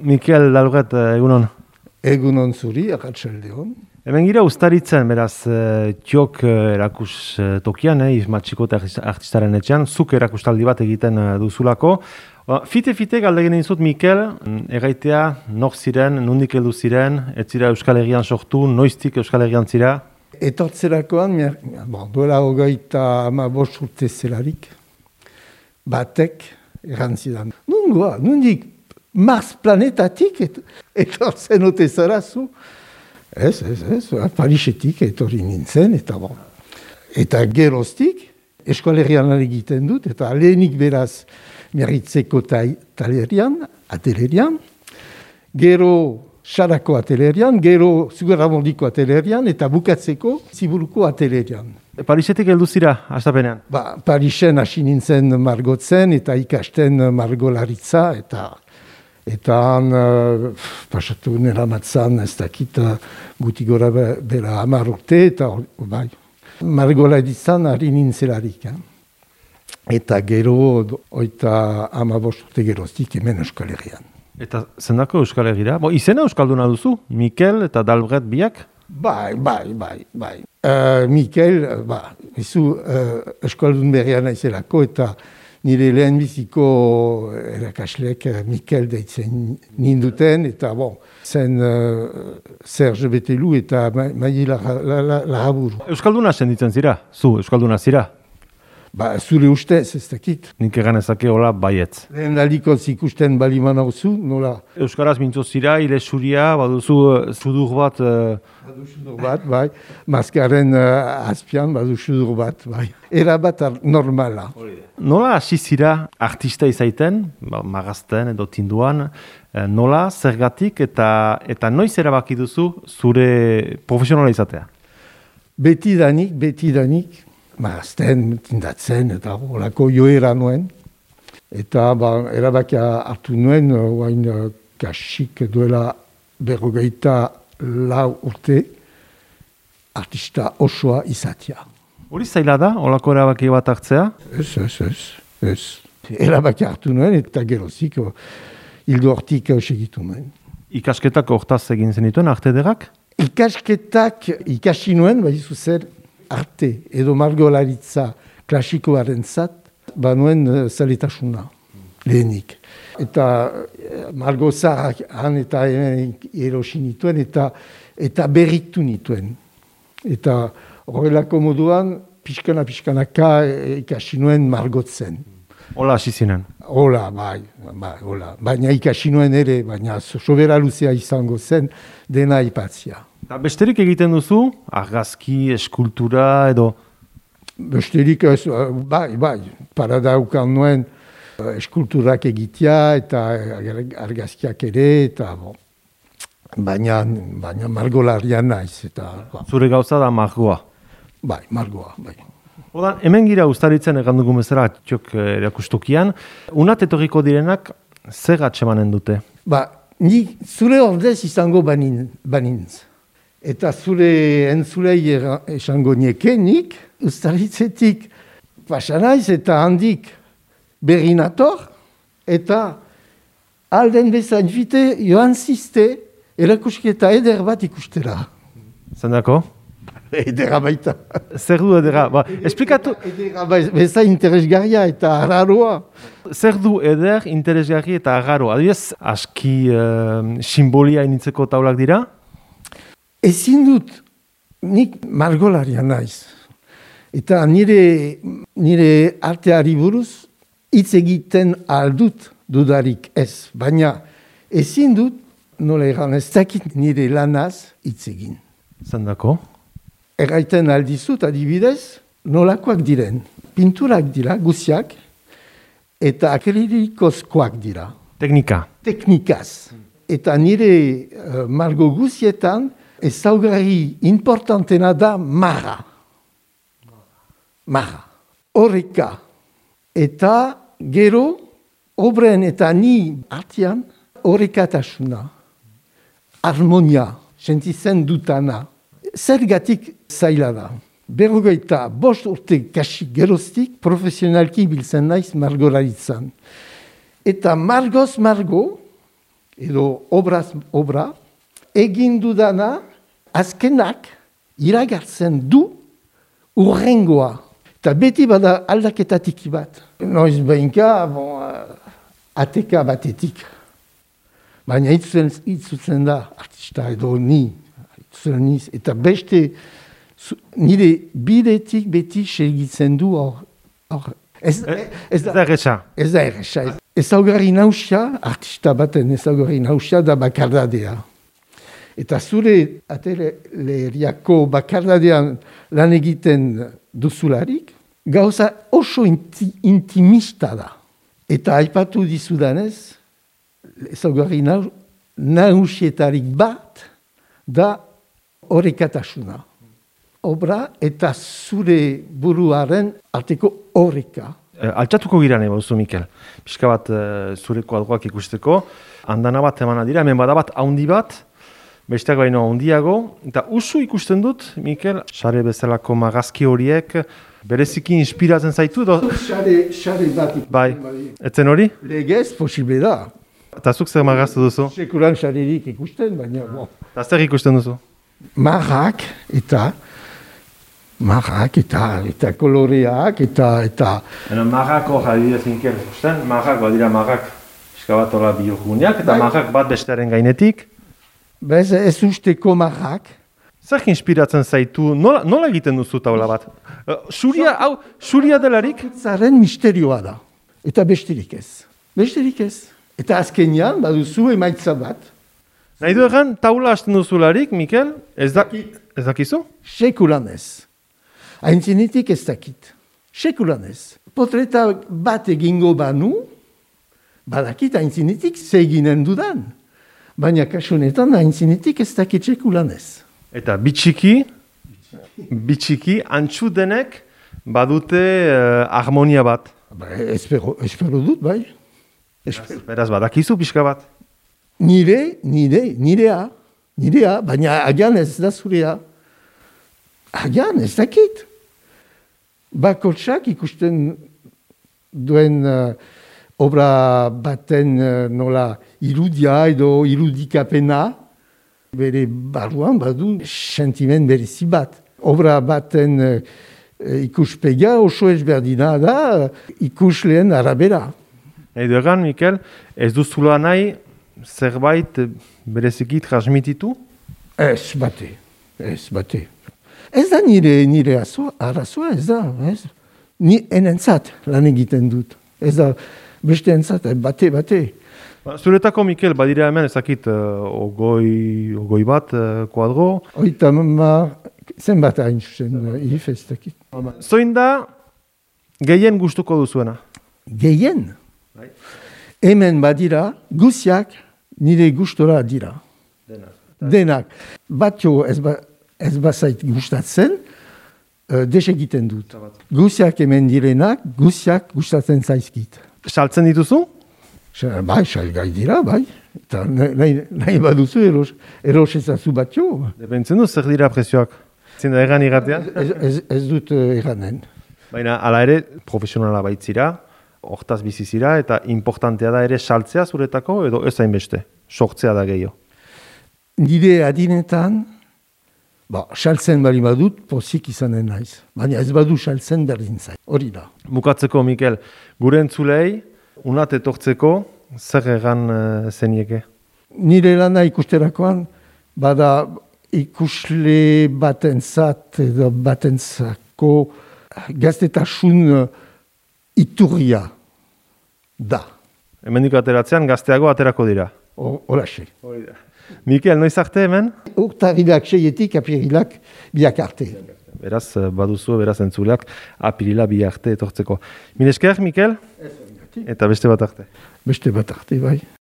Mikel Dalbret, egunon. Egunon zuri, arratsaldeon. Hemen gira ustaritzen, beraz, txok erakus tokian, Matxiko eta artistaren etxean, zuk erakustaldi bat egiten duzulako. Fite galdegin dizut, Mikel, erraitea, nor ziren, nondik heldu ziren, ez zira Euskal Herrian sortu, noiztik Euskal Herrian zira? Etortzerakoan, duela 35 urte zelarik, batek errantzidan. Nondik Mars planetatik etortzen ote zara zu? Ez, Parisetik etorri nintzen, eta geroztik, Eskoalerian egiten dut, eta lehenik beraz Miarritzeko atelerian, gero Sarako atelerian, gero Zugarramondiko atelerian, eta bukatzeko Ziburuko atelerian. Parisetik heldu zira, hastapenean? Parisen hasi nintzen margotzen, eta ikasten margolaritza, eta han pasatu nera matzan, ez dakit guti gora bera 10 urte, eta margolaritzan ari nintzelarik. Eta gero, 15 urte geroztik hemen Euskal Herrian. Eta zendako Euskal Herrira? Izena Euskalduna duzu? Mikel eta Dalbret biak? Bai. Mikel, Euskaldun berrian naizelako, eta nire lehenbiziko erakasleek Mikel deitzen ninduten, eta zen Serge Betelu eta Maili Laraburu. Euskalduna senditzen zira? Zu, Euskalduna zira? Zure ustez, ez dakit. Nik egan ezake hola baietz. Lehen aldikoz ikusten baliman hauzu, nola? Euskaraz mintzo zira, ile suria, baduzu sudur bat... Badu sudur bat, bai. Maskaren azpian, badu sudur bat, bai. Era bat normala. Nola hasi zira artista izaiten, magazten edo tinduan, nola, zergatik eta noiz erabaki duzu zure profesionala izatea? Betidanik, magazten, tindatzen, eta holako joera nuen. Eta erabakia hartu nuen, oain kasik duela 54 urte, artista osoa izatea. Hori zaila da, holako erabaki bat hartzea? Ez. Erabaki hartu nuen, eta gerozik, hildo hortik segitu nuen. Ikasketak hortaz egin zenituen, arte ederrak? Ikasketak ikasi nuen, baizu zer, arte edo margolaritza klasikoaren zat, banuen zaletasuna, lehenik. Eta margozarrak han eta hemen erosi nituen, eta berritu nituen. Eta horrelako moduan, pixkanaka ikasi nuen margotzen. Hola hasi zinen? Hola, bai. Baina ikasi nuen ere, baina sobera luzea izango zen, dena ipatzia. Eta besterik egiten duzu? Argazki, eskultura edo? Besterik, bai. Paradaukan nuen eskulturak egitea eta argazkiak ere, eta baina margolarian naiz. Zure gauza da margoa? Bai, margoa, bai. Odan, hemen gira ustaritzen egandugu bezala txok erakustokian. Unat etorriko direnak zer atsemanen dute? Ni zure ordez izango banintz. Eta zure entzulei esango niekenik, ustaritzetik pasanaiz eta handik berrinator, eta alden bezain fite joan ziste erakusketa eder bat ikustera. Zendako? Edera baita. Zer du edera? Esplikatu... Edera bezain interesgarria eta arraroa. Zer du eder, interesgarri eta arraroa? Adibidez, aski simbolia initzeko taulak dira? Ezin dut, nik margolaria naiz. Eta nire arteari buruz hitz egiten aldut dudarik ez. Baina ezin dut, nola egan ez dakit nire lanaz hitz egin. Zendako? Erraiten aldizut, adibidez, nolakoak diren. Pinturak dira, guziak, eta akrilikozkoak dira. Teknikaz. Eta nire margo guzietan, ezaugarri importantena da marra. Horreka. Eta gero, obren eta ni artean, horrekatasuna. Harmonia, sentitzen dutana. Zergatik zaila da. 45 urte kasik geroztik profesionalki biltzen naiz margolaritzan. Eta margoz margo, edo obraz obra, egin dudana azkenak iragartzen du urrengoa. Eta beti bada aldaketa tiki bat. Noiz behinka, ateka batetik. Baina itzutzen da, artista edo ni, itzutzen niz, eta beste nire bidetik beti segitzen du hor. Ez da erresa. Ez da erresa. Ezaugarri nausia, artista baten ezaugarri nausia da bakardadea. Eta zure ateleriako bakardadean lan egiten duzularik, gauza oso intimista da. Eta aipatu dizudanez, ezaugarri nausietarik bat da orekatasuna. Obra eta zure buruaren arteko oreka. Altxatuko gira nahi bauzu, Mikel. Pixka bat zure kuadroak ikusteko. Andana bat emana dira, hemen badabat haundi bat, besteak baino handiago. Eta usu ikusten dut, Mikel, sare bezalako magazki horiek, bereziki inspiratzen zaitu? Sare bat ikusten bai. Etzen hori? Legez posible da. Eta zuk zer magaztu duzu? Sekulan sarerik ikusten, baina... Eta zer ikusten duzu? Marrak eta koloreak eta... Marrako jadidez Mikel, ikusten? Marrak badira marrak eskabatola bihurguneak, eta marrak bat bestearen gainetik. Bez, ez usteko marrak. Zer inspiratzen zaitu, nola egiten duzu taula bat? Suria delarik? Zaren misterioa da, eta besterik ez. Eta azkenean, baduzu emaitza bat. Nahi du egan, taula hasten duzularik, Mikel? Ez dakizu? Sekulan ez. Aintzinetik ez dakit. Sekulan ez. Potreta bat egingo banu, badakit aintzinetik zeginen dudan. Baina kasunetan aintzinetik ez dakit sekulan ez. Eta bitxiki, antxu denek badute harmonia bat. Espero dut, bai. Beraz, badakizu pixka bat. Nirea, baina agian ez da zurea. Agian ez dakit. Bakotsak ikusten duen obra baten nola irudia edo irudikapena, bere barruan badu sentimen berezi bat. Obra baten ikuspega oso ezberdina da ikusleen arabera. Edo egan, Mikel, ez duzula nahi zerbait bereziki transmititu? Ez bate. Ez da nire arazoa, ez da. Ni enentzat lan egiten dut. Ez da beste entzat, bate. Zuretako, Mikel, badira hemen ezakit ogoi bat, kuadro? Oita, zenbat hain zuzen, if ez dakit. Zoin da gehien gustuko duzuena? Gehien? Hemen badira, guziak nire gustora dira. Denak. Batio ez bazait gustatzen, desegiten dut. Guziak hemen direnak, guziak gustatzen zaizkit. Saltzen dituzu? Bai, salgai dira, bai. Eta nahi baduzu erosezazu batio. Depentzen du, zer dira prezioak? Zinda egan igatean? Ez dut eganen. Baina, ala ere, profesionala baitzira, hortaz bizizira, eta importantea da ere saltzea zuretako, edo ez hainbeste, sortzea da gehiago. Nire adinetan, saltzen bali badut, pozik izanen naiz. Baina ez badu saltzen berdin zait. Hori da. Bukatzeko, Mikel, gure entzulei, unat etortzeko, zer egan zenieke? Nire lana ikusterakoan, bada ikusle batentzat edo batentzako gaztetasun iturria da. Hemendik ateratzean gazteago aterako dira. Holaxe. Mikel, noiz arte hemen? Urtarrilak 6-etik, apirilak biak arte. Beraz, baduzu, beraz entzuleak, apirila bi arte etortzeko. Mil esker, Mikel? Eta beste bat arte. Beste bat arte, bai.